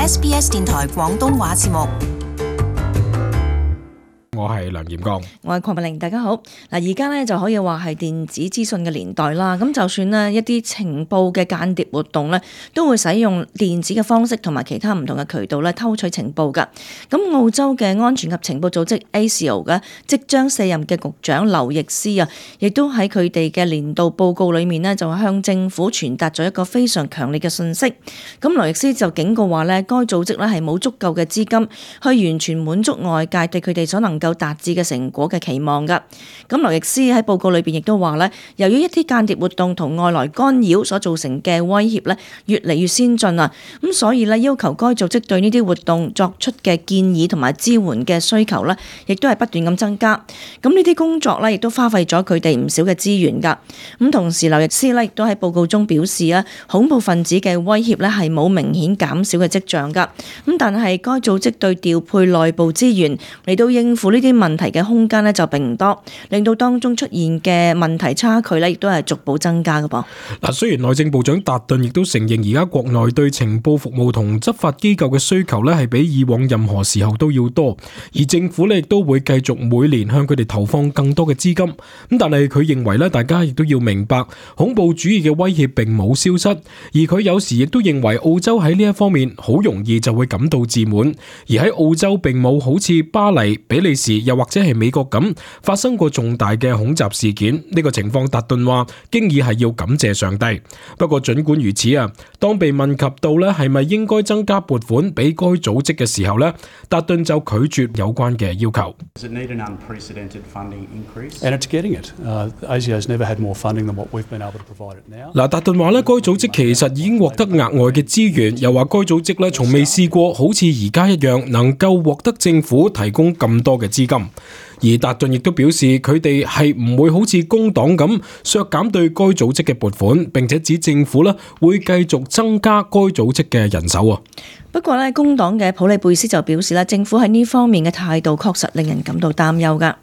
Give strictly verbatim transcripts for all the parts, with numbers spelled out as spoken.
S B S 電台廣東話節目。我係梁炎剛，我係鄺美玲，大家好。嗱，而家咧就可以話係電子資訊嘅年代啦。咁就算呢一啲情報嘅間諜活動咧，都會使用電子嘅方式同埋其他唔同嘅渠道咧偷取情報㗎。咁澳洲嘅安全及情報組織 A S I O 嘅即將卸任嘅局長劉易斯啊，亦都喺佢哋嘅年度報告裏面呢，就向政府傳達咗一個非常強烈嘅訊息。咁劉易斯就警告話咧，該組織咧係冇足夠嘅資金去完全滿足外界對佢哋所能夠達至嘅成果嘅期望㗎。咁劉易斯喺報告裏邊亦都話咧，由於一啲間諜活動同外來干擾所造成嘅威脅咧，越嚟越先進啊，咁所以咧要求該組織對呢啲活動作出嘅建議同埋支援嘅需求咧，亦都係不斷咁增加。咁呢啲工作咧，亦都花費咗佢哋唔少嘅資源㗎。咁同時劉易斯咧亦都喺報告中表示啊，恐怖分子嘅威脅咧係冇明顯減少嘅跡象㗎。咁但係該組織對調配內部資源嚟到應付呢啲問題嘅空間咧就並唔多，令到當中出現嘅問題差距咧亦都係逐步增加嘅噃。嗱，雖然內政部長達頓亦都承認而家國內對情報服務同執法機構嘅需求咧係比以往任何時候都要多，而政府咧亦都會繼續每年向佢哋投放更多嘅資金。咁但係佢認為咧，大家亦都要明白恐怖主義嘅威脅並冇消失，而佢有時亦都認為澳洲喺呢一方面好容易就會感到自滿，而喺澳洲並冇好似巴黎、比利時又或者係美國咁發生過重大嘅恐襲事件。呢個情況達頓話經已係要感謝上帝。不過儘管如此啊，當被問及到咧係咪應該增加撥款俾該組織嘅時候咧，達頓就拒絕有關嘅要求。Does it need an unprecedented funding increase? And it's getting it. Uh, A S I O has never had more funding than what we've been able to provide it now. 嗱，達頓話咧，該組織其實已經獲得額外嘅資源，又話該組織咧從未試過好似而家一樣能夠獲得政府提供咁多嘅資金。而達頓亦都表示，佢哋係唔會好似工黨咁削減對該組織嘅撥款，並且指政府咧會繼續增加該組織嘅人手啊。不過咧，工黨嘅普利貝斯就表示咧，政府喺呢方面嘅態度確實令人感到擔憂㗎。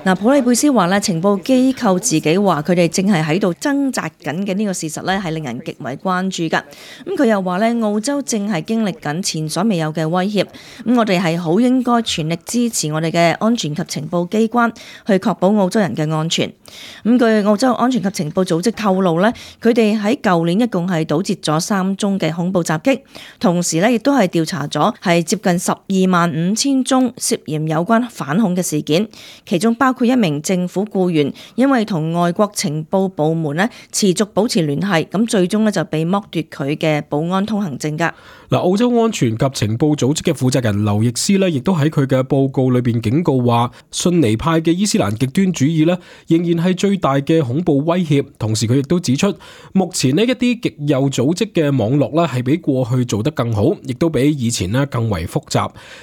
嗱，普利貝斯話咧，情報機構自己話佢哋正係喺度掙扎緊嘅呢個事實咧，係令人極為關注㗎。咁佢又話咧，澳洲正係經歷緊前所未有嘅威脅，咁我哋係好應該全力支持我哋嘅安全及情報機關，去確保澳洲人嘅安全。咁據澳洲安全及情報組織透露咧，佢哋喺舊年一共係堵截咗三宗嘅恐怖襲擊，同時咧亦都係調查咗係接近十二萬五千宗涉嫌有關反恐嘅事件，其中包括一名政府僱員因為同外國情報部門咧持續保持聯繫，咁最終咧就被剝奪佢嘅保安通行證㗎。嗱，澳洲安全及情報組織嘅負責人劉易斯咧，亦都喺佢嘅報告裏邊警告話，遜尼派嘅伊斯蘭極端主義咧仍然係最大嘅恐怖威脅。同時佢亦都指出，目前呢一啲極右組織嘅網絡咧係比過去做得更好，亦都比以前咧更為複雜。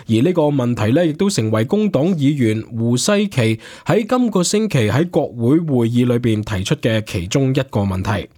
而呢個問題咧亦都成為工黨議員胡西奇喺今個星期喺國會會議裏邊提出嘅其中一個問題。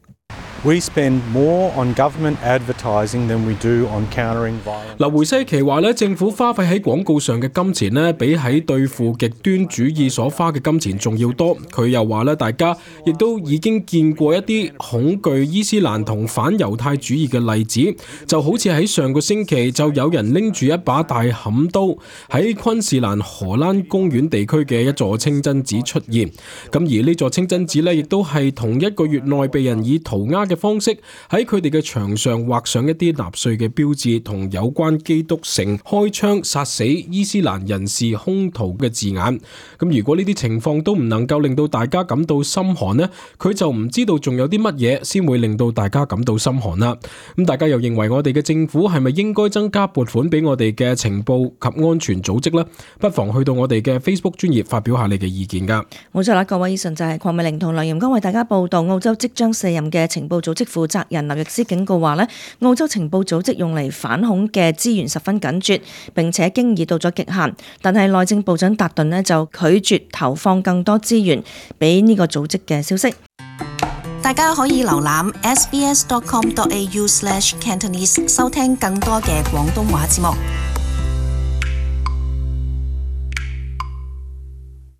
We spend more on government advertising than we do on countering violence. 嗱，胡西奇話咧，政府花費喺廣告上嘅金錢咧，比喺對付極端主義所花嘅金錢仲要多。佢又話咧，大家亦都已經見過一啲恐懼伊斯蘭同反猶太主義嘅例子，就好似喺上個星期就有人拎住一把大砍刀喺昆士蘭荷蘭公園地區嘅一座清真寺出現。咁而呢座清真寺咧，亦都係同一個月內被人以塗鴉嘅方式喺佢哋嘅牆上畫上一啲納粹嘅標誌同有關基督城開槍殺死伊斯蘭人士兇徒嘅字眼。咁如果呢啲情況都唔能夠令到大家感到心寒呢，佢就唔知道仲有啲乜嘢先會令到大家感到心寒啦。咁大家又認為我哋嘅政府係咪應該增加撥款俾我哋嘅情報及安全組織呢？不妨去到我哋嘅 Facebook 專頁發表下你嘅意見噶。冇錯啦，各位，以上就係鄺美玲同梁炎剛為大家報道澳洲即將卸任嘅情報組織負責人劉易斯警告話咧，澳洲情報組織用嚟反恐嘅資源十分緊絀，並且經已到咗極限。但係內政部長達頓咧就拒絕投放更多資源俾呢個組織嘅消息。大家可以瀏覽 s b s dot com dot a u slash cantonese 收聽更多嘅廣東話節目。